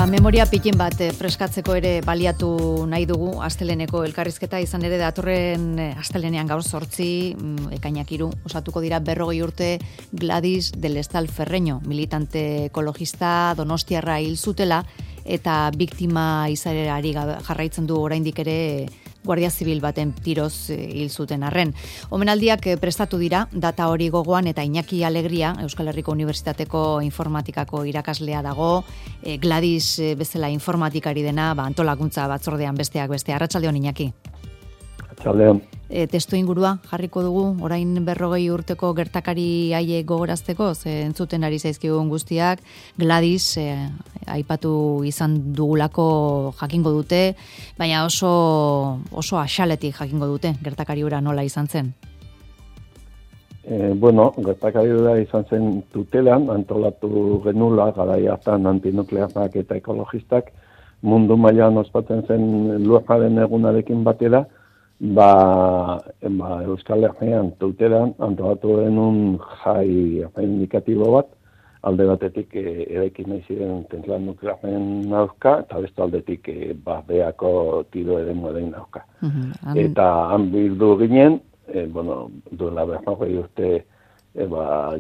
Memoria pikin bat freskatzeko ere baliatu nahi dugu asteleneko elkarrizketa, izan ere datorren astelenean gaur 8 ekainak 3 osatuko dira 40 urte Gladys del Estal Ferreño, militante ekologista donostiarra hil zutela eta biktima izarerari jarraitzen du oraindik ere Guardia Zibil baten tiroz hil zuten arren. Omenaldiak prestatu dira, data hori gogoan, eta Iñaki Alegria, Euskal Herriko Unibertsitateko informatikako irakaslea dago, Gladys bezala informatikari dena, antolakuntza batzordean besteak beste. Arratsaldeon, Iñaki. Arratsaldeon. Testu ingurua jarriko dugu, orain 40 urteko gertakari haiek gogorazteko, entzuten ari zaizkigun guztiak, Gladys aipatu izan dugulako jakingo dute, baina oso axaletik jakingo dute gertakari hura nola izan zen. Gertakari hura izan zen Tutelan, antolatu genula garai hartan antinuklearrak eta ekologistak, mundu mailan ospatzen zen lurraren egunarekin batera, Euskal Herrian Tutelan antolatu genuen jai indikatibo bat, alde batetik eraikin nahi ziren zentral nuklearren aurka, eta beste aldetik beako tiro eremuaren aurka. Eta han bildu ginen, duela 40 urte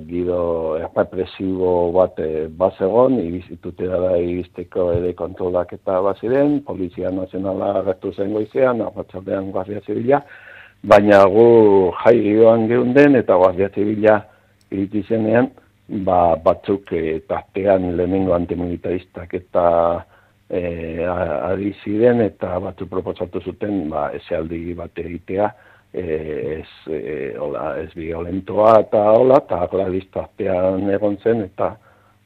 giro errepresibo bat bazegon, Tutera iristeko ere kontrolak eta baziren, Polizia Nazionala agertu zen goizean, arratsaldean Guardia Zibila, baina gu jai giroan geunden eta Guardia Zibila iriti zenean, batzuk tartean lehenengo antimilitaristak eta ari ziren eta batzuk proposatu zuten esaldi bat egitea, ez violentoa eta Gladys tartean egon zen eta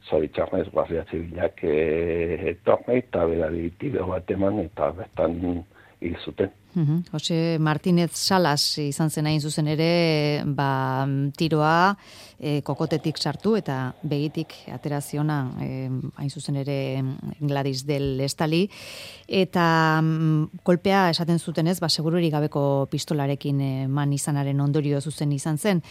zoritxarnez Guardia Zibilak etorne eta berari tiro bat eman eta bertan hil zuten. Jose Martínez Salas izan zen hain zuzen ere, tiroa kokotetik sartu eta begitik ateraziona hain zuzen ere Gladys del Estali, eta kolpea esaten zutenez, segururik gabeko pistolarekin eman izanaren ondorio zuzen izan zen.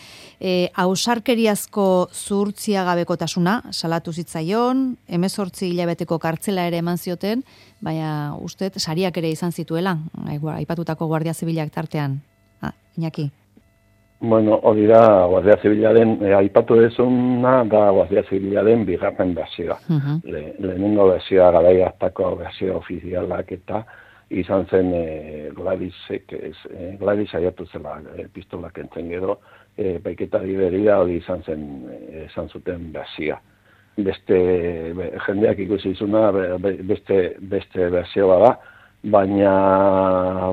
Ausarkeriazko zuhurtzia gabekotasuna salatu zitzaion, 18 hilabeteko kartzela ere eman zioten, baina uste sariak ere izan zituela, aipatutako Guardia Zibilak tartean. Iñaki. Hori da, Guardia Zibilaren, aipatu dezuna da Guardia Zibilaren bigarren berzioa. Lehenengo berzioa garai hartako berzio ofizialak eta izan zen Gladys saiatu zela pistolak entzen gero, baiketari berira hori izan zuten berzioa. Jendeak ikusi izuna beste berzioa da, baina,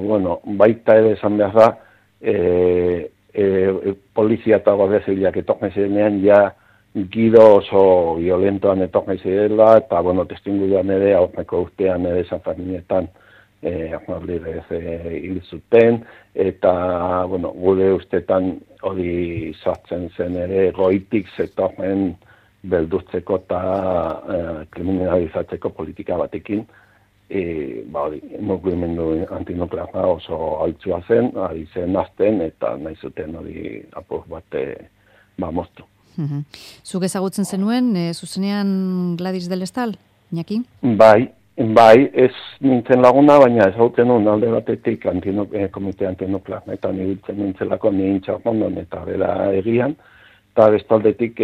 baita ere esan behar da, polizia eta Guardia Zibilak etorne zirenean, giro oso violentoan etorne zirela, eta, testinguruan ere, aurreko urtean ere San Ferminetan, Arnaldez hil zuten, eta, gure ustetan hori sartzen zen ere, goitik zetorren beldurtzeko eta kriminalizatzeko politika batekin, mugimendu antinuklearra oso altzua zen, ari zen azten eta nahi zuten hori apur bat moztu. Zuk ezagutzen zenuen, zuzenean Gladys del Estal, Iñaki? Bai, ez nintzen laguna, baina ezagutzen nuen alde batetik komite antinuklearretan ibiltzen nintzelako nintxarrondon eta bera egian, eta bestaldetik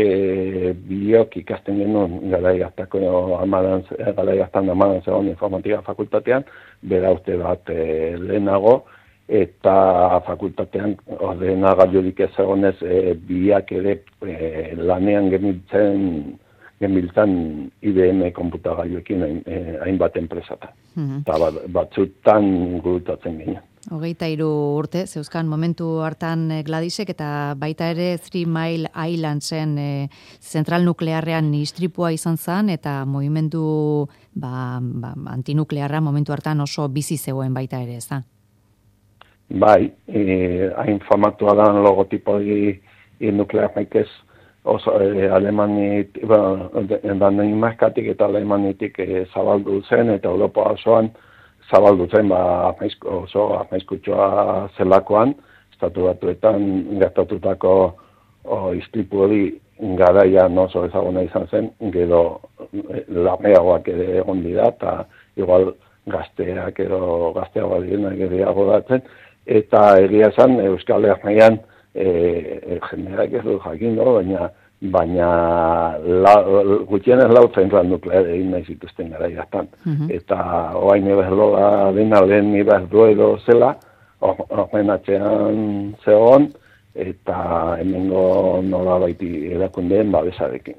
biok ikasten genuen garai hartan amadan zegoen informatika fakultatean, bera urte bat lehenago, eta fakultatean ordenagailurik ez egonez biak ere lanean genbiltzan IBM konputagailuekin hainbat enpresatan. Eta batzutan gurutatzen ginen. 23 urte, zeuzkan momentu hartan Gladysek eta baita ere 3 Mile Islandsen zentral nuklearrean istripua izan zen eta mugimendu antinuklearra momentu hartan oso bizi zegoen baita ere, ez da? Bai, hain famatua da logotipo nuklearrik ez, oso Alemanitik, Danimarkatik eta Alemanitik zabaldu zen eta Europa osoan zabaldu zen oso arnaizkutsua zelakoan, estatu batuetan gertatutako istripu hori garaian oso ezaguna izan zen, gero lameagoak ere egon dira, eta igual gazteak edo gazteagoa direnak gehiago datzen, eta egia esan Euskal Herrian jendeak ez du jakin, baina gutxienez lau zentral nukleare egin nahi zituzten garaiatan. Eta oain eberloa dena lehen Iberdrola zela, horren atzean zegoen, eta hemengo nola baiti erakundeen babesarekin.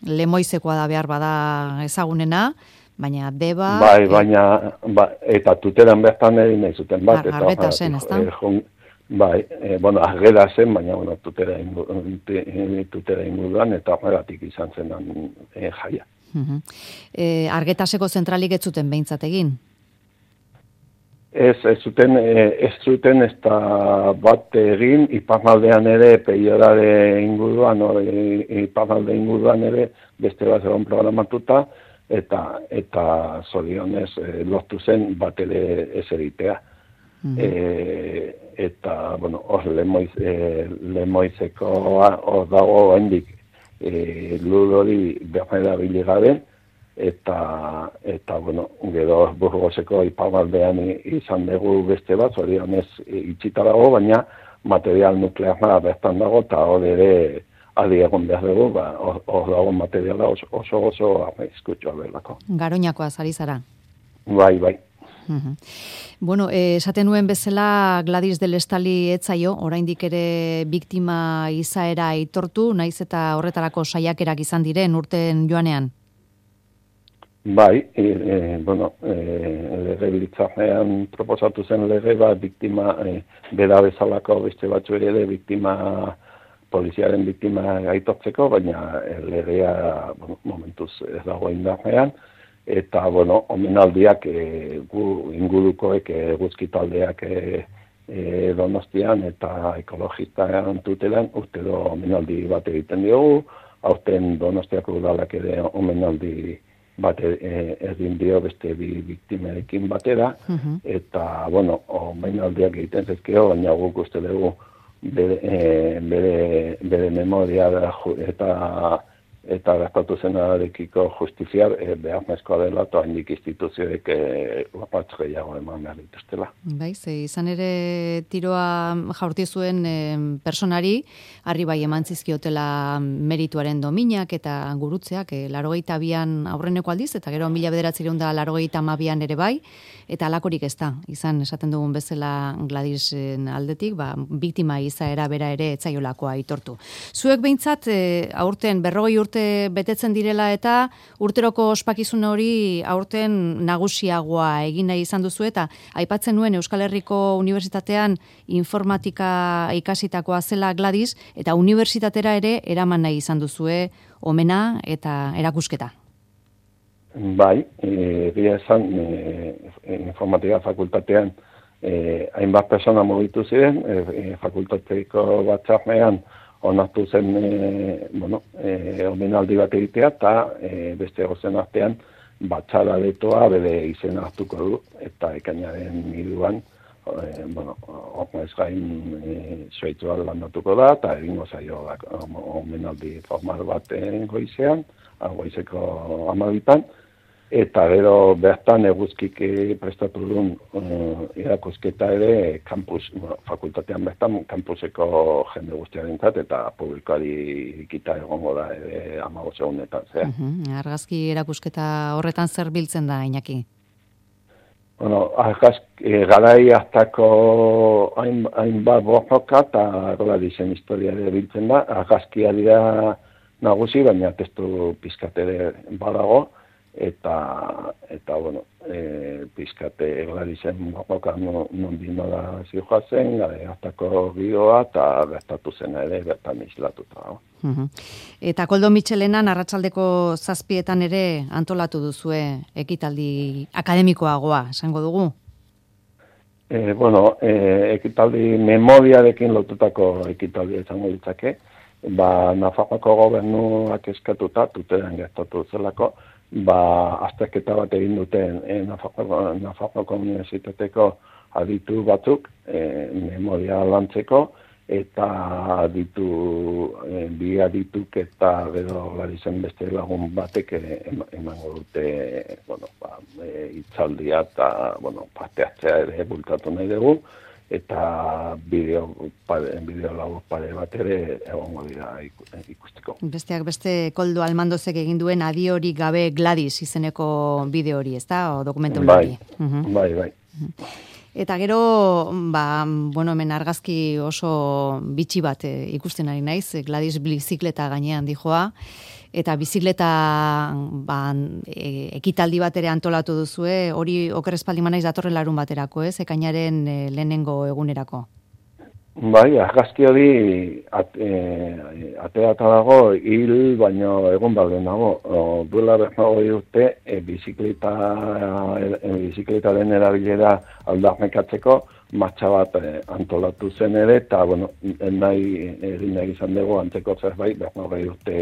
Lemoizekoa da behar bada ezagunena, baina Deba... Baina, eta tuteran bertan egin nahi zuten bat. Argeta zen, ez da? Argera zen, baina tutera inguruan, eta horregatik izan zen jaia. Argetaseko zentralik ez zuten behintzat egin? Ez zuten ez da bat egin, iparraldean ere, peiorare inguruan, iparralde inguruan ere, beste bat egon programatuta, eta zorionez lortu zen bat ere ez egitea. Eta, hor lemoizekoa hor dago hendik lur hori behar biligabe, eta gero Burgoseko iparraldean izan dugu beste bat, zorionez itxita dago, baina material nuklearra bertan dago, eta hor ere adi egon behar dugu, hor dago materiala oso arriskutsua belako. Garoñakoa zari zara? Bai. Bueno, esaten nuen bezala Gladys del Estali etzaio, oraindik ere biktima izaera aitortu, naiz eta horretarako saiakerak izan diren urten joanean? Bai, legebiltzarrean proposatu zen lege bat biktima, bera bezalako beste batzu ere biktima, poliziaren biktima aitortzeko, baina legea momentuz ez dago indarrean, eta, omenaldiak ingurukoek eguzki taldeak Donostian eta ekologistan tutelan, urtero omenaldi bat egiten diogu, aurten Donostiako udalak ere omenaldi bat egin dio beste bi biktimerekin batera, eta, omenaldiak egiten zezkeo, baina guk uste dugu bere memoria eta gertatu zenarekiko justiziar beharrezkoa dela, eta haindik instituzioek lapatz gehiago eman behar dituztela. Izan ere tiroa jaurti zuen personari, harri bai eman zizkiotela merituaren dominak eta gurutzeak, 82an aurreneko aldiz, eta gero 1982an ere bai, eta alakorik ez da, izan esaten dugun bezala Gladysen aldetik, biktima izaera bera ere etzaiolakoa aitortu. Zuek behintzat, aurten 40 urte betetzen direla eta urteroko ospakizun hori aurten nagusiagoa egin nahi izan duzu, eta aipatzen nuen Euskal Herriko Unibertsitatean informatika ikasitakoa zela Gladys, eta unibertsitatera ere eraman nahi izan duzue omena eta erakusketa. Bai, egia esan informatika fakultatean hainbat persona mugitu ziren, fakultateko batzarrean onartu zen omenaldi bat egitea, eta beste gozen artean batzara detoa bere izena hartuko du, eta ekainaren 3an ez gain Suaitzua landatuko da, eta egingo zaio omenaldi formal bat goizean, goizeko 12an, eta gero bertan eguzkik prestatu duen irakusketa ere fakultatean bertan kampuseko jende guztiarentzat eta publikoari irikita egongo da 15 egunetan. Argazki erakusketa horretan zer biltzen da, Iñaki? Garai hartako hainbat borroka eta Gladysen historia ere biltzen da. Argazkia dira nagusi, baina testu pizkat ere badago, eta pizkate Gladysen borroka nondi nola zijoazen, garai hartako giroa eta gertatu zena ere bertan islatuta. Eta Koldo Mitxelenan arratsaldeko 7etan ere antolatu duzue ekitaldi akademikoagoa, esango dugu? Ekitaldi memoriarekin lotutako ekitaldi izango litzake, Nafarroako gobernuak eskatuta, tuteran gertatu zelako, azterketa bat egin duten Nafarroako Unibertsitateko aditu batzuk memoria lantzeko, eta bia dituk eta gero Gladisen beste lagun batek emango dute, hitzaldia eta, parte hartzea ere bultatu nahi dugu, eta bideo labur pare bat ere egongo dira ikusteko. Besteak beste Koldo Almandozek egin duen Adiorik gabe Gladys izeneko bideo hori, ezta? O dokumentu hori. Bai. Eta gero, hemen argazki oso bitxi bat ikusten ari naiz, Gladys bizikleta gainean dijoa, eta bizikleta ekitaldi bat ere antolatu duzue, hori oker espaldi manaiz datorren larun baterako, ez? Ekainaren lehenengo egunerako. Bai, argazki hori aterata dago hil baino egon balde nago. Duela berrogei urte bizikletaren erabilera aldarnekatzeko martxa bat antolatu zen ere, eta egin nahi izan dugu antzeko zerbait berrogei urte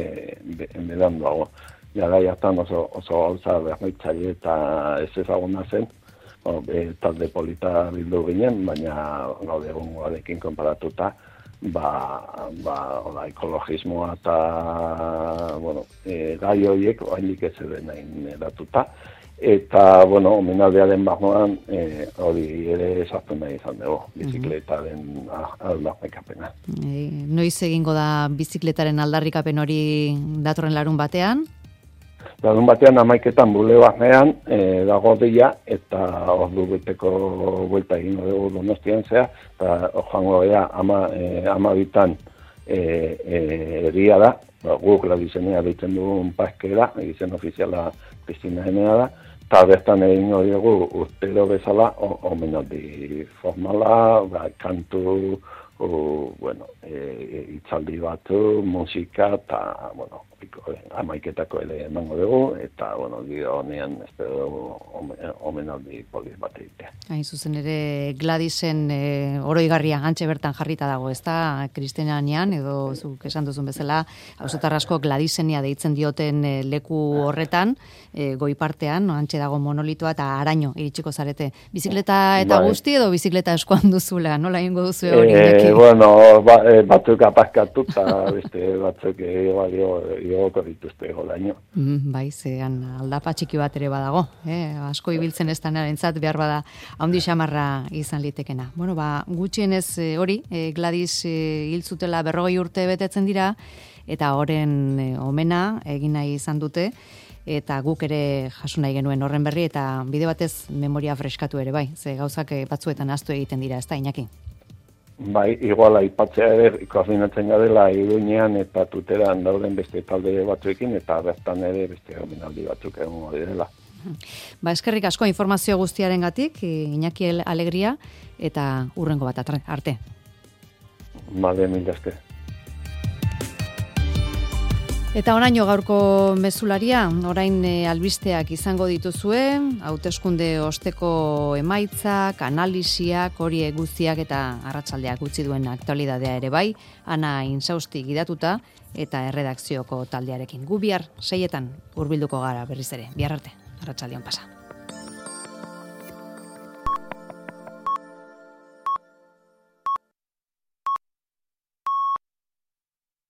beranduago. Garai hartan oso gauza berritzaile eta ez ezaguna zen. Talde polita bildu ginen, baina gaur egungoarekin konparatuta, ekologismoa eta, gai horiek oraindik ez zen nahin eratuta. Eta, omenaldiaren barruan hori ere sartu nahi izan dugu, bizikletaren aldarrikapena. Noiz egingo da bizikletaren aldarrikapen hori datorren larun batean? Larun batean 11:00 bule barnean dago deia, eta ordu beteko buelta egingo dugu Donostian zea, eta joango gara 12:00 egia da, guk Gladisenea deitzen dugun parkera, izen ofiziala Kristina Enea da, eta bertan egingo dugu urtero bezala omenaldi formala, kantu, hitzaldi batu, musika, eta, 11:00 ere emango dugu, eta, giro honean espero omenaldi polit bat egitea. Hain zuzen ere Gladisen oroigarria antxe bertan jarrita dago, ez da, Kristenanean, edo zuk esan duzun bezala, auzotar asko Gladisenia deitzen dioten leku horretan, goi partean, antxe dago monolitoa, eta araño iritsiko zarete. Bizikleta eta guzti edo bizikleta eskoan duzula, nola egingo duzu hori? Batzuk apazkatu, eta beste batzuk igoko dituzte golaino. Bai, zean aldapa txiki bat ere badago, asko ibiltzen ez danarentzat behar bada handi xamarra izan litekena. Gutxienez hori, Gladys hil zutela 40 urte betetzen dira, eta horren omena egin nahi izan dute, eta guk ere jaso nahi genuen horren berri, eta bide batez memoria freskatu ere bai, ze gauzak batzuetan ahaztu egiten dira, ez da, Iñaki? Bai, iguala aipatzea ere koordinatzen gadela Iruñean eta Tuteran dauden beste talde batzuekin, eta bertan ere beste omenaldi batzuk egongo direla. Eskerrik asko informazio guztiarengatik, Iñaki Alegria, eta hurrengo bat arte. Bale, mila esker. Eta oraino gaurko mezularia, orain albisteak izango dituzue, hauteskunde osteko emaitzak, analisiak, horiek guztiak eta arratsaldeak utzi duen aktualidadea ere bai, Ana Insausti gidatuta eta erredakzioko taldearekin. Gu bihar 6:00 hurbilduko gara berriz ere. Bihar arte, arratsaldean pasa.